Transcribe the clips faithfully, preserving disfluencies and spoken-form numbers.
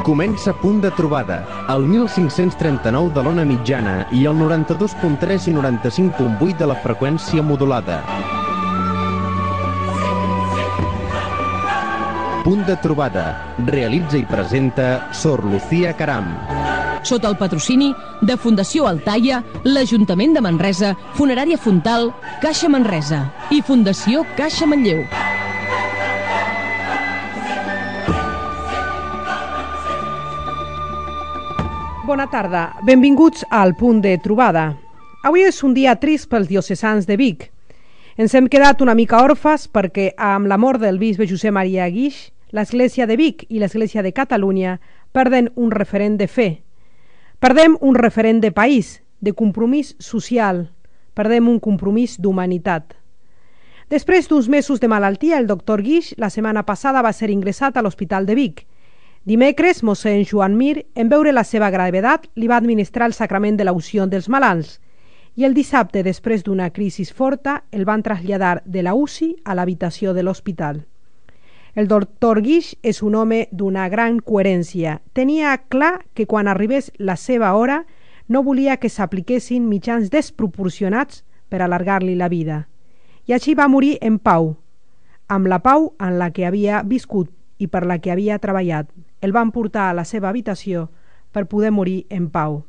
Comença Punt de Trobada, el mil cinc-cents trenta-nou de l'ona mitjana i el noranta-dos punt tres i noranta-cinc punt vuit de la freqüència modulada. Punt de Trobada, realitza i presenta Sor Lucía Caram. Sota el patrocini de Fundació Altaia, l'Ajuntament de Manresa, Funerària Fontal, Caixa Manresa i Fundació Caixa Manlleu. Bona tarda, benvinguts al Punt de Trobada. Avui és un dia trist pels diocesans de Vic. Ens hem quedat una mica orfes perquè amb la mort del bisbe Josep Maria Guix, l'Església de Vic i l'Església de Catalunya perden un referent de fe. Perdem un referent de país, de compromís social, perdem un compromís d'humanitat. Després d'uns mesos de malaltia, el doctor Guix la setmana passada va ser ingressat a l'Hospital de Vic. Dimecres, mossèn Joan Mir, en veure la seva gravetat, li va administrar el sacrament de l'unció dels malalts i el dissabte, després d'una crisi forta, el van traslladar de la U C I a l'habitació de l'hospital. El doctor Guix és un home d'una gran coherència. Tenia clar que quan arribés la seva hora no volia que s'apliquessin mitjans desproporcionats per allargar-li la vida. I així va morir en pau, amb la pau en la que havia viscut i per la que havia treballat. El van portar a la seva habitació per poder morir en pau.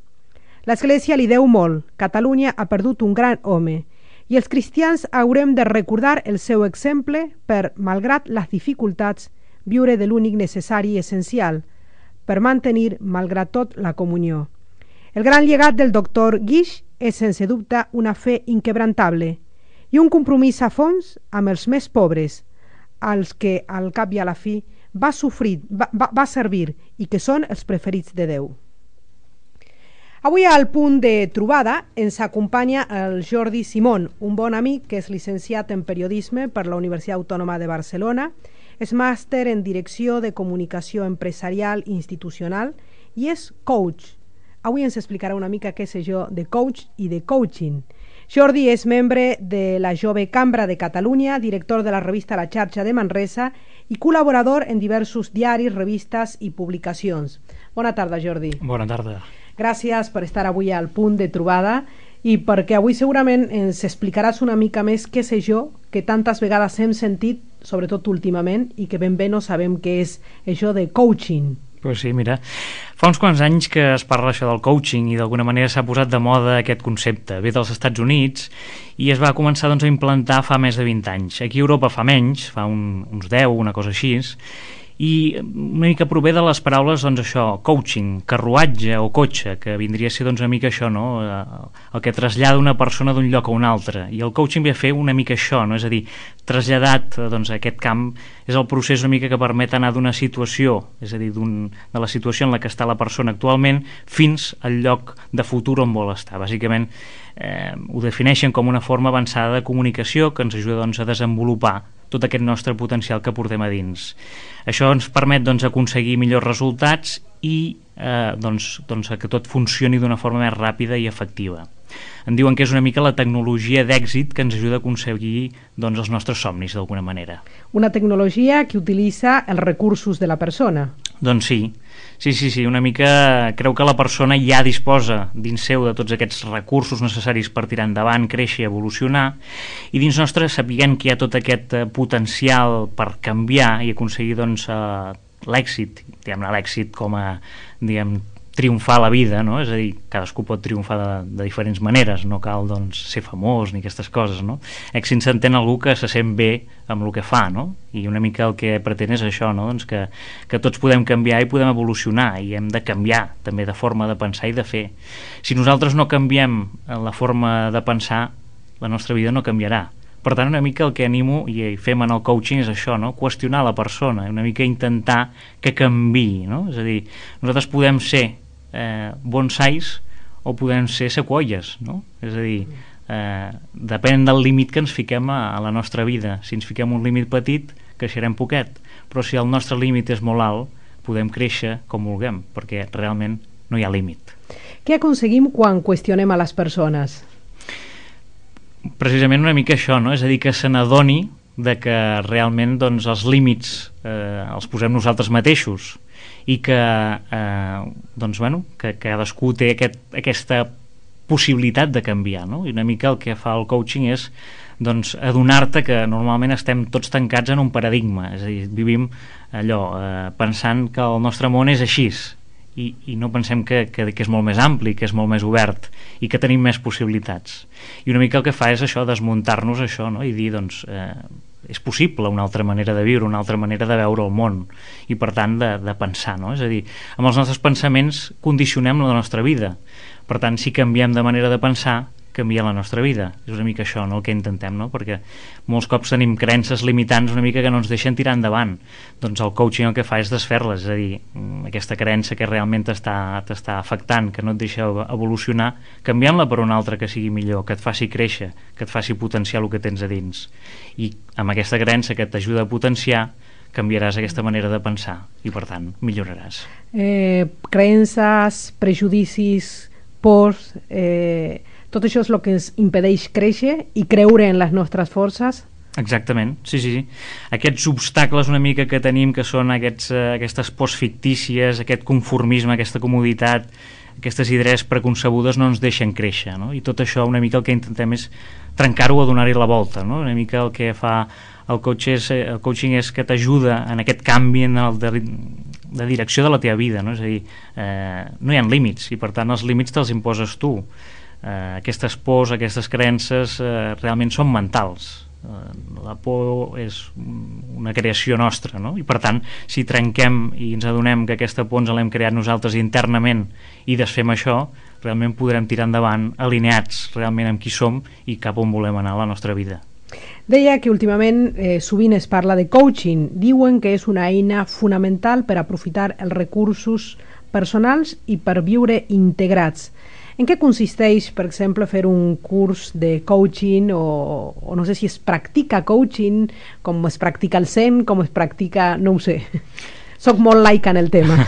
L'Església li deu molt. Catalunya ha perdut un gran home i els cristians haurem de recordar el seu exemple per, malgrat les dificultats, viure de l'únic necessari i essencial, per mantenir, malgrat tot, la comunió. El gran llegat del doctor Guix és, sense dubte, una fe inquebrantable i un compromís a fons amb els més pobres, als que, al cap i a la fi, va sofrir, va, va, va servir i que són els preferits de Déu. Avui al Punt de Trobada ens acompanya el Jordi Simón, un bon amic que és llicenciat en periodisme per la Universitat Autònoma de Barcelona, és màster en direcció de comunicació empresarial i institucional i és coach. Avui ens explicarà una mica què sé jo de coach i de coaching. Jordi és membre de la Jove Cambra de Catalunya, director de la revista La Xarxa de Manresa i col·laborador en diversos diaris, revistes i publicacions. Bona tarda, Jordi. Bona tarda. Gràcies per estar avui al Punt de Trobada i perquè avui segurament ens explicaràs una mica més què sé jo, que tantes vegades hem sentit, sobretot últimament, i que ben bé no sabem què és això de coaching. Pues sí, mira, fa uns quants anys que es parla això del coaching i d'alguna manera s'ha posat de moda aquest concepte. Ve dels Estats Units i es va començar doncs, a implantar fa més de vint anys. Aquí a Europa fa menys, fa un, uns deu, una cosa així, i una mica prové de les paraules, doncs això, coaching, carruatge o cotxe, que vindria a ser doncs una mica això, no? El que trasllada una persona d'un lloc a un altre. I el coaching ve a fer una mica això, no? És a dir, traslladat doncs, a aquest camp és el procés una mica que permet anar d'una situació, és a dir, de la situació en la que està la persona actualment fins al lloc de futur on vol estar. Bàsicament eh, ho defineixen com una forma avançada de comunicació que ens ajuda doncs, a desenvolupar tot aquest nostre potencial que portem a dins. Això ens permet doncs, aconseguir millors resultats i eh, doncs, doncs, que tot funcioni d'una forma més ràpida i efectiva. En diuen que és una mica la tecnologia d'èxit que ens ajuda a aconseguir doncs, els nostres somnis d'alguna manera. Una tecnologia que utilitza els recursos de la persona. Doncs sí, sí, sí, sí, una mica creu que la persona ja disposa dins seu de tots aquests recursos necessaris per tirar endavant, créixer, evolucionar, i dins nostre sapiguem que hi ha tot aquest potencial per canviar i aconseguir doncs, l'èxit, diguem-ne l'èxit com a, diguem, triomfar la vida, no? És a dir, cadascú pot triomfar de, de diferents maneres, no cal doncs, ser famós ni aquestes coses, no? Èxit s'entén algú que se sent bé amb el que fa, no? I una mica el que pretén és això, no? Doncs que, que tots podem canviar i podem evolucionar i hem de canviar també de forma de pensar i de fer. Si nosaltres no canviem la forma de pensar, la nostra vida no canviarà. Per tant, una mica el que animo i fem en el coaching és això, no? Qüestionar la persona, una mica intentar que canviï, no? És a dir, nosaltres podem ser eh, bonsais o podem ser sequoies, no? És a dir, eh, depèn del límit que ens fiquem a, a la nostra vida. Si ens fiquem un límit petit, creixerem poquet, però si el nostre límit és molt alt, podem créixer com vulguem, perquè realment no hi ha límit. Què aconseguim quan qüestionem a les persones? Precisament una mica això, no? És a dir, que se n'adoni de que realment doncs, els límits eh, els posem nosaltres mateixos i que, eh, doncs, bueno, que, que cadascú té aquest, aquesta possibilitat de canviar, no? I una mica el que fa el coaching és doncs, adonar-te que normalment estem tots tancats en un paradigma, és a dir, vivim allò, eh, pensant que el nostre món és així, i, i no pensem que, que, que és molt més ampli, que és molt més obert i que tenim més possibilitats. I una mica el que fa és això, desmuntar-nos això, no? I dir, doncs, eh, és possible una altra manera de viure, una altra manera de veure el món i, per tant, de, de pensar, no? És a dir, amb els nostres pensaments condicionem la nostra vida. Per tant, si canviem de manera de pensar, canvia la nostra vida. És una mica això, no?, el que intentem, no? Perquè molts cops tenim creences limitants una mica que no ens deixen tirar endavant. Doncs el coaching el que fa és desfer-les, és a dir, aquesta creença que realment t'està t'està afectant, que no et deixa evolucionar, canviant-la per una altra que sigui millor, que et faci créixer, que et faci potenciar el que tens a dins. I amb aquesta creença que t'ajuda a potenciar, canviaràs aquesta manera de pensar i, per tant, milloraràs. Eh, creences, prejudicis, pors... Eh... Tot això és el que ens impedeix créixer i creure en les nostres forces? Exactament, sí, sí, sí. Aquests obstacles una mica que tenim, que són aquests, eh, aquestes pors fictícies, aquest conformisme, aquesta comoditat, aquestes idees preconcebudes no ens deixen créixer, no? I tot això una mica el que intentem és trencar-ho a donar-hi la volta, no? Una mica el que fa el, coach és, el coaching és que t'ajuda en aquest canvi en el de, de direcció de la teva vida, no? És a dir, eh, no hi ha límits i per tant els límits te'ls imposes tu. Uh, aquestes pors, aquestes creences uh, realment són mentals. Uh, la por és una creació nostra, no? I per tant, si trenquem i ens adonem que aquesta por ens l'hem creat nosaltres internament i desfem això, realment podrem tirar endavant alineats realment amb qui som i cap on volem anar a la nostra vida. Deia que últimament eh, sovint es parla de coaching. Diuen que és una eina fonamental per aprofitar els recursos personals i per viure integrats. En què consisteix, per exemple, fer un curs de coaching o, o no sé si es practica coaching, com es practica el Zen, com es practica... no ho sé. Soc molt laica en el tema.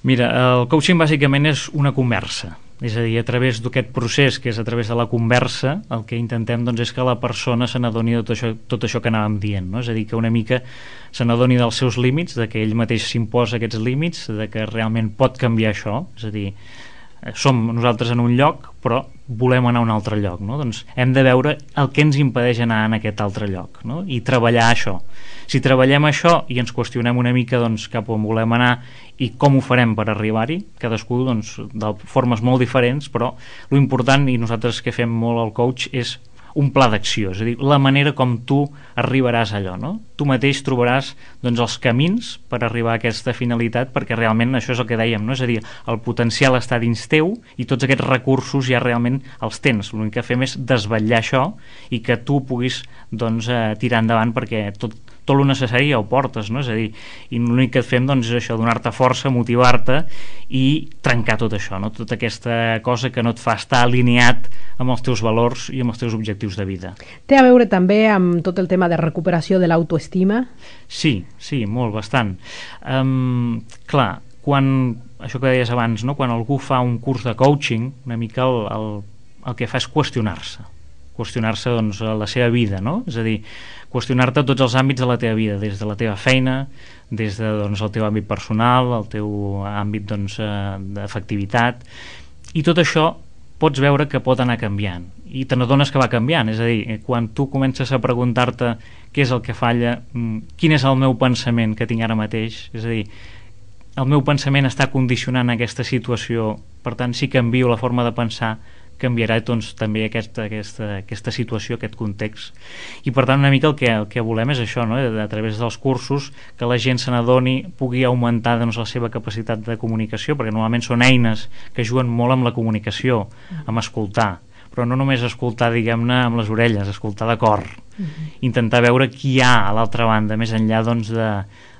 Mira, el coaching bàsicament és una conversa. És a dir, a través d'aquest procés, que és a través de la conversa, el que intentem doncs, és que la persona se n'adoni de tot això, tot això que anàvem dient, no? És a dir, que una mica se n'adoni dels seus límits, de que ell mateix s'imposa aquests límits, de que realment pot canviar això, és a dir, som nosaltres en un lloc però volem anar a un altre lloc, no? Doncs hem de veure el que ens impedeix anar en aquest altre lloc, no? I treballar això. Si treballem això i ens qüestionem una mica doncs, cap on volem anar i com ho farem per arribar-hi, cadascú doncs, de formes molt diferents, però l'important, i nosaltres que fem molt al coach, és un pla d'acció, és a dir, la manera com tu arribaràs a allò, no? Tu mateix trobaràs doncs, els camins per arribar a aquesta finalitat, perquè realment això és el que dèiem, no? És a dir, el potencial està dins teu i tots aquests recursos ja realment els tens. L'únic que fem és desvetllar això i que tu puguis doncs, eh, tirar endavant, perquè tot, tot el necessari ja ho portes, no? És a dir, i l'únic que et fem doncs, és això, donar-te força, motivar-te i trencar tot això, no? Tota aquesta cosa que no et fa estar alineat amb els teus valors i amb els teus objectius de vida. Té a veure també amb tot el tema de recuperació de l'autoestima? Sí, sí, molt, bastant. Um, clar, quan, això que deies abans, no? Quan algú fa un curs de coaching, una mica el, el, el que fa és qüestionar-se, qüestionar-se doncs, la seva vida, no? És a dir, qüestionar-te tots els àmbits de la teva vida, des de la teva feina, des de, doncs, el teu àmbit personal, el teu àmbit doncs, d'efectivitat, i tot això pots veure que pot anar canviant i te n'adones que va canviant, és a dir, quan tu comences a preguntar-te què és el que falla, quin és el meu pensament que tinc ara mateix, és a dir, el meu pensament està condicionant aquesta situació, per tant si canvio la forma de pensar canviarà doncs, també aquesta, aquesta, aquesta situació, aquest context. I per tant una mica el que, el que volem és això, no? A través dels cursos, que la gent se n'adoni, pugui augmentar doncs, la seva capacitat de comunicació, perquè normalment són eines que juguen molt amb la comunicació, amb escoltar, però no només escoltar, diguem-ne, amb les orelles, escoltar de cor, uh-huh. Intentar veure qui hi ha a l'altra banda, més enllà doncs, de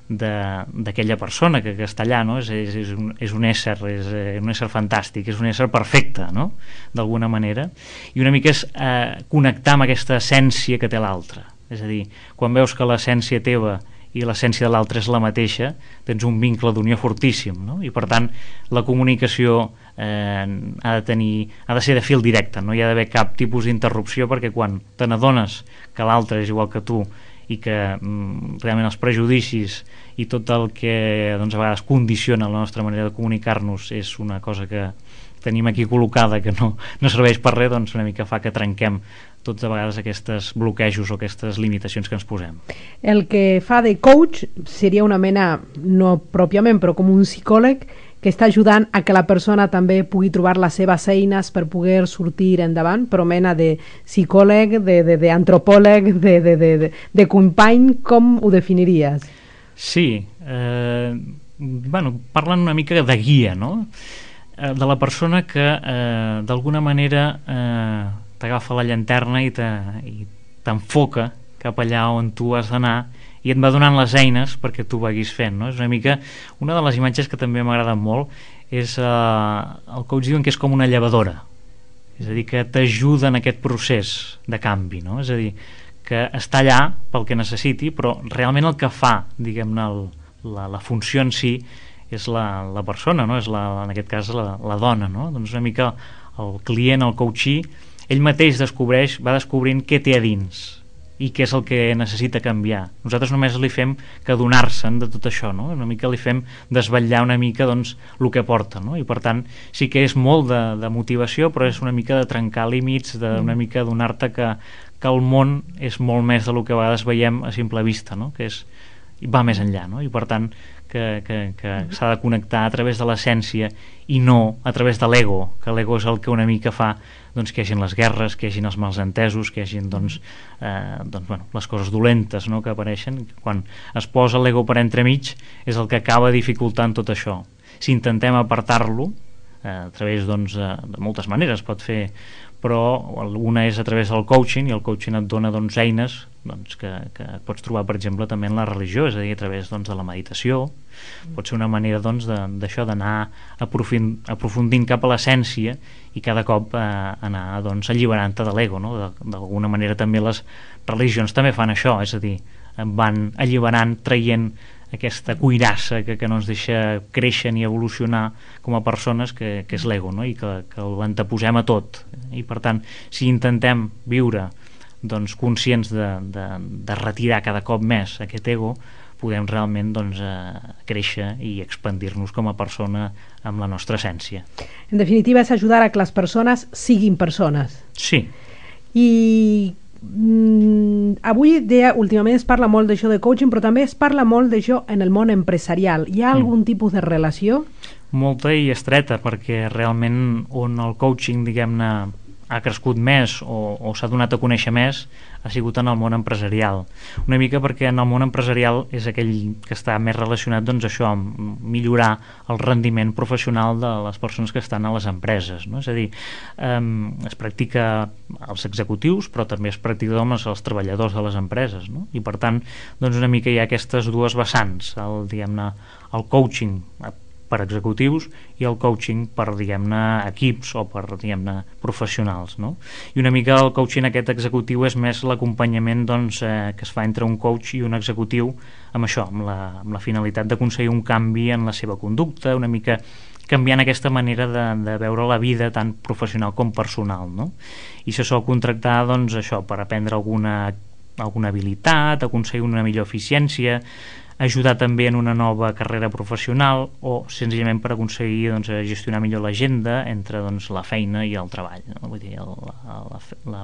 d'aquella persona que, que està allà, no? és, és, és, un, és un ésser és un ésser fantàstic, és un ésser perfecte, no? D'alguna manera, i una mica és eh, connectar amb aquesta essència que té l'altre, és a dir, quan veus que l'essència teva i l'essència de l'altre és la mateixa, tens un vincle d'unió fortíssim, no? I per tant la comunicació eh, ha de tenir, ha de ser de fil directe, no hi ha d'haver cap tipus d'interrupció, perquè quan te n'adones que l'altre és igual que tu i que mm, realment els prejudicis i tot el que doncs, a vegades condiciona la nostra manera de comunicar-nos és una cosa que tenim aquí col·locada que no, no serveix per res, doncs una mica fa que trenquem tots a vegades aquests bloquejos o aquestes limitacions que ens posem. El que fa de coach seria una mena, no pròpiament, però com un psicòleg que està ajudant a que la persona també pugui trobar les seves eines per poder sortir endavant, però mena de psicòleg, d'antropòleg, de, de, de, de, de, de company, com ho definiries? Sí, eh, bueno, parlen una mica de guia, no? Eh, de la persona que eh, d'alguna manera eh, t'agafa la llanterna i t'enfoca cap allà on tu has d'anar i et va donant les eines perquè tu vagis fent, no? És una mica, una de les imatges que també m'agrada molt és eh, el coach diuen que és com una llevadora, és a dir, que t'ajuda en aquest procés de canvi, no? És a dir, que està allà pel que necessiti, però realment el que fa, diguem-ne, la, la funció en si és la, la persona, no? És la, en aquest cas la, la dona, no? Doncs una mica el client, el coachee, ell mateix descobreix, va descobrint què té a dins i què és el que necessita canviar. Nosaltres només li fem que donar-se'n de tot això, no? Una mica li fem desvetllar una mica doncs, el que porta, no? I per tant sí que és molt de, de motivació, però és una mica de trencar límits, de, una mica donar-te que, que el món és molt més del que a vegades veiem a simple vista, no? Que és, va més enllà, no? I per tant que, que, que s'ha de connectar a través de l'essència i no a través de l'ego, que l'ego és el que una mica fa doncs, que hi hagin les guerres, que hi hagin els malentesos, que hi hagin doncs, eh, doncs, bueno, les coses dolentes, no?, que apareixen. Quan es posa l'ego per entremig és el que acaba dificultant tot això. Si intentem apartar-lo eh, a través doncs, de moltes maneres pot fer, però una és a través del coaching, i el coaching et dona doncs, eines doncs, que, que pots trobar per exemple també en la religió, és a dir, a través doncs, de la meditació. Pot ser una manera doncs, d'això, d'anar aprofundint, aprofundint cap a l'essència i cada cop eh, anar doncs, alliberant-te de l'ego, no? D'alguna manera també les religions també fan això, és a dir, van alliberant, traient aquesta cuirassa que, que no ens deixa créixer ni evolucionar com a persones, que, que és l'ego, no? I que, que l'anteposem a tot. I per tant, si intentem viure doncs, conscients de, de, de retirar cada cop més aquest ego, podem realment doncs, eh, créixer i expandir-nos com a persona amb la nostra essència. En definitiva, és ajudar a que les persones siguin persones. Sí. I mm, avui dia, últimament es parla molt d'això de coaching, però també es parla molt d'això en el món empresarial. Hi ha algun mm. tipus de relació? Molta i estreta, perquè realment on el coaching, diguem-ne, ha crescut més o, o s'ha donat a conèixer més ha sigut en el món empresarial. Una mica perquè en el món empresarial és aquell que està més relacionat doncs, això, amb millorar el rendiment professional de les persones que estan a les empreses, no? És a dir, eh, es practica als executius, però també es practica doncs, als treballadors de les empreses, no? I per tant, doncs, una mica hi ha aquestes dues vessants, el, diguem-ne, el coaching per executius i el coaching per, diguem-ne, equips o per, diguem-ne, professionals, no? I una mica el coaching aquest executiu és més l'acompanyament doncs, eh, que es fa entre un coach i un executiu amb això, amb la, amb la finalitat d'aconseguir un canvi en la seva conducta, una mica canviant aquesta manera de, de veure la vida tant professional com personal, no? I se sol contractar doncs, això, per aprendre alguna, alguna habilitat, aconseguir una millor eficiència, ajudar també en una nova carrera professional o senzillament per aconseguir doncs, gestionar millor l'agenda entre doncs, la feina i el treball, no? Vull dir, el, la, la, la,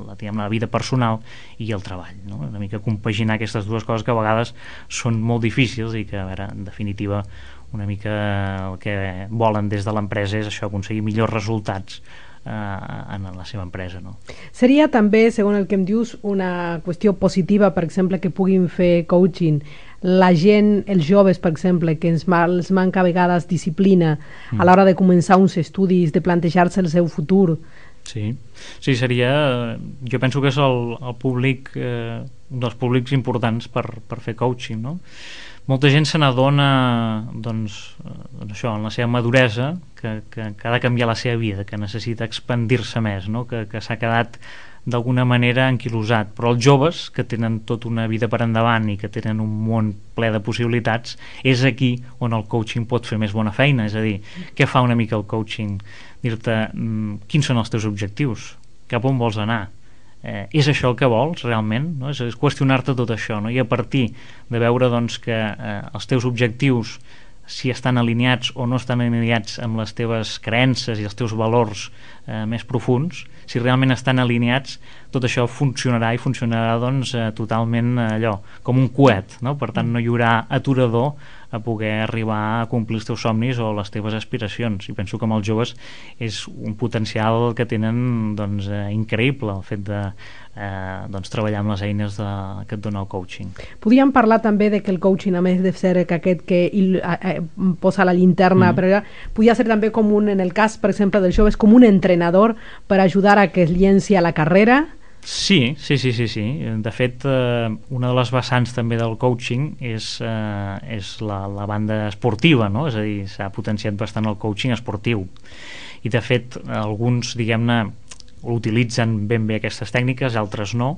la, diguem, la vida personal i el treball, no? Una mica compaginar aquestes dues coses que a vegades són molt difícils i que, a veure, en definitiva, una mica el que volen des de l'empresa és això, aconseguir millors resultats en la seva empresa, no? Seria també, segons el que em dius, una qüestió positiva, per exemple, que puguin fer coaching la gent, els joves, per exemple, que ens, els manca a vegades disciplina mm. a l'hora de començar uns estudis, de plantejar-se el seu futur. Sí, sí, seria, jo penso que és el, el públic, eh, un dels públics importants per, per fer coaching, no? Molta gent se n'adona doncs, doncs això, en la seva maduresa que, que, que ha de canviar la seva vida, que necessita expandir-se més, no? que, que s'ha quedat d'alguna manera anquilosat, però els joves que tenen tota una vida per endavant i que tenen un món ple de possibilitats, és aquí on el coaching pot fer més bona feina. És a dir, què fa una mica el coaching? Dir-te mm, quins són els teus objectius, cap on vols anar, eh, és això el que vols realment, no? és, és qüestionar-te tot això, no? I a partir de veure doncs, que eh, els teus objectius, si estan alineats o no estan alineats amb les teves creences i els teus valors eh, més profuns, si realment estan alineats, tot això funcionarà i funcionarà doncs, eh, totalment eh, allò, com un coet, no? Per tant no hi haurà aturador a poder arribar a complir els teus somnis o les teves aspiracions, i penso que amb els joves és un potencial que tenen doncs, eh, increïble el fet de eh, doncs, treballar amb les eines de, que et dona el coaching. Podríem parlar també de que el coaching, a més de ser que aquest que il, eh, posa la linterna, mm. però podria ser també com un, en el cas, per exemple, dels joves, com un entrenador per ajudar a que es llenci a la carrera. Sí, sí, sí, sí, sí. De fet, eh, una de les vessants també del coaching és, eh, és la, la banda esportiva, no? És a dir, s'ha potenciat bastant el coaching esportiu. I de fet, alguns, diguem-ne, utilitzen ben bé aquestes tècniques, altres no,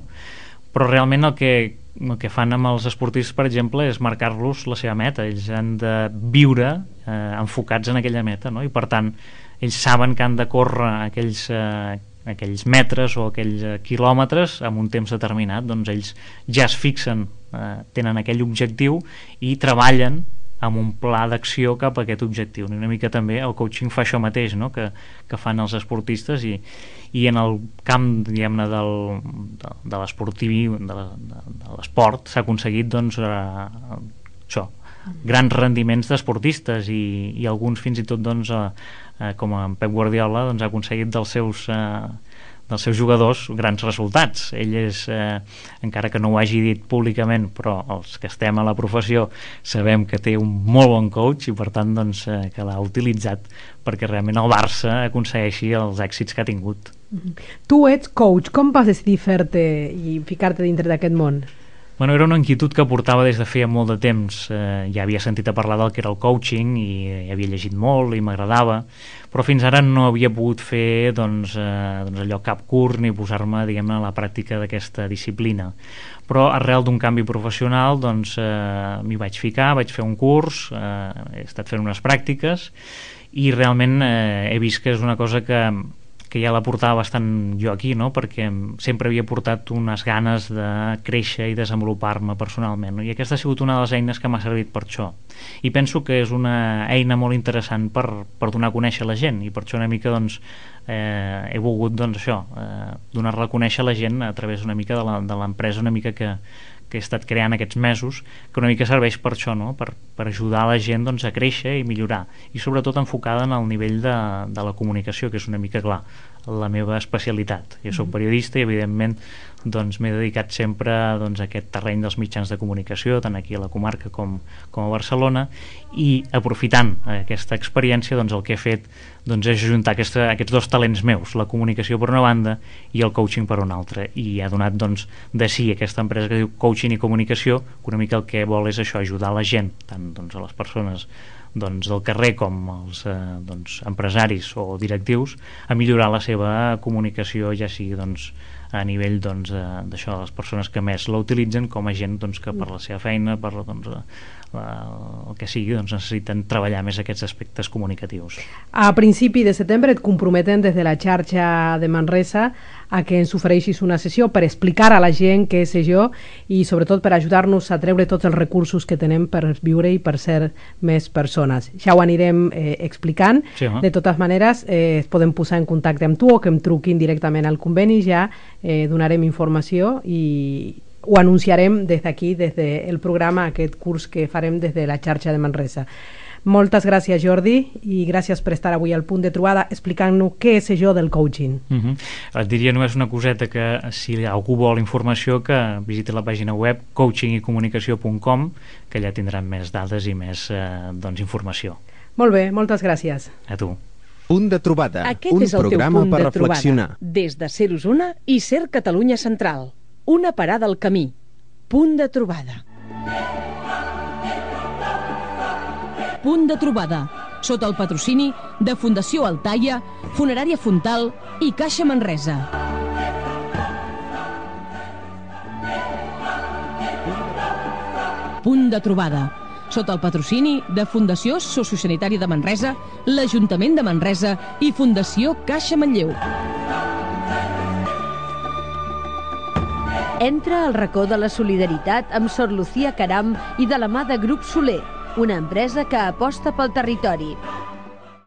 però realment el que, el que fan amb els esportistes, per exemple, és marcar-los la seva meta. Ells han de viure eh, enfocats en aquella meta, no? I per tant, ells saben que han de córrer aquells eh, aquells metres o aquells eh, quilòmetres amb un temps determinat, doncs ells ja es fixen, eh, tenen aquell objectiu i treballen amb un pla d'acció cap a aquest objectiu. Una mica també el coaching fa això mateix, no? que, que fan els esportistes, i, i en el camp, diguem-ne, del, de, de l'esportiu, de l'esport, s'ha aconseguit doncs, eh, això, grans rendiments d'esportistes, i, i alguns fins i tot doncs, eh, eh, com en Pep Guardiola doncs, ha aconseguit dels seus, eh, dels seus jugadors grans resultats. Ell és, eh, encara que no ho hagi dit públicament, però els que estem a la professió sabem que té un molt bon coach, i per tant doncs, eh, que l'ha utilitzat perquè realment el Barça aconsegueixi els èxits que ha tingut. Tu ets coach, com vas decidir fer-te i ficar-te dintre d'aquest món? Bueno, era una inquietud que portava des de feia molt de temps. Eh, ja havia sentit a parlar del que era el coaching i eh, havia llegit molt i m'agradava, però fins ara no havia pogut fer doncs, eh, doncs allò cap curs ni posar-me, diguem-ne, a la pràctica d'aquesta disciplina. Però arrel d'un canvi professional doncs, eh, m'hi vaig ficar, vaig fer un curs, eh, he estat fent unes pràctiques i realment eh, he vist que és una cosa que que ja la portava bastant jo aquí, no? Perquè sempre havia portat unes ganes de créixer i desenvolupar-me personalment, no? I aquesta ha sigut una de les eines que m'ha servit per això. I penso que és una eina molt interessant per, per donar a conèixer la gent, i per això una mica doncs, eh, he volgut doncs, això, eh, donar-la a conèixer la gent a través una mica de l'empresa una mica que, que he estat creant aquests mesos, que una mica serveix per això, no? per, per ajudar la gent doncs, a créixer i millorar, i sobretot enfocada en el nivell de, de la comunicació, que és una mica, clar, la meva especialitat. Jo soc periodista i evidentment doncs, m'he dedicat sempre doncs, a aquest terreny dels mitjans de comunicació, tant aquí a la comarca com, com a Barcelona, i aprofitant aquesta experiència doncs, el que he fet doncs, és ajuntar aquesta, aquests dos talents meus, la comunicació per una banda i el coaching per una altra, i ha donat doncs, de sí aquesta empresa que diu Coaching i Comunicació, que una mica el que vol és això, ajudar la gent, tant doncs, a les persones doncs, del carrer com els eh, doncs, empresaris o directius, a millorar la seva comunicació, ja sigui doncs, a nivell doncs, d'això, de les persones que més la utilitzen, com a gent doncs, que per la seva feina, per doncs, la, el que sigui, doncs, necessiten treballar més aquests aspectes comunicatius. A principi de setembre et comprometen des de la xarxa de Manresa a que ens ofereixis una sessió per explicar a la gent què és això i sobretot per ajudar-nos a treure tots els recursos que tenem per viure i per ser més persones. Ja ho anirem eh, explicant. Sí, eh? De totes maneres, eh, es poden posar en contacte amb tu o que em truquin directament al conveni, ja eh, donarem informació i ho anunciarem des d'aquí, des del programa, aquest curs que farem des de la xarxa de Manresa. Moltes gràcies, Jordi, i gràcies per estar avui al Punt de Trobada explicant-nos què és això del coaching. Uh-huh. Et diria només una coseta, que si algú vol informació que visiti la pàgina web coaching i comunicació punt com, que allà tindran més dades i més eh, doncs, informació. Molt bé, moltes gràcies. A tu. Punt de Trobada, Aquest un és el programa teu punt per de reflexionar. Trobada, des de Ser Osona i Ser Catalunya Central. Una parada al camí. Punt de Trobada. Punt de Trobada, sota el patrocini de Fundació Altaia, Funerària Fontal i Caixa Manresa. Punt de Trobada, sota el patrocini de Fundació Sociosanitària de Manresa, l'Ajuntament de Manresa i Fundació Caixa Manlleu. Entra al racó de la solidaritat amb Sor Lucía Caram i de la mà de Grup Soler, una empresa que aposta pel territori.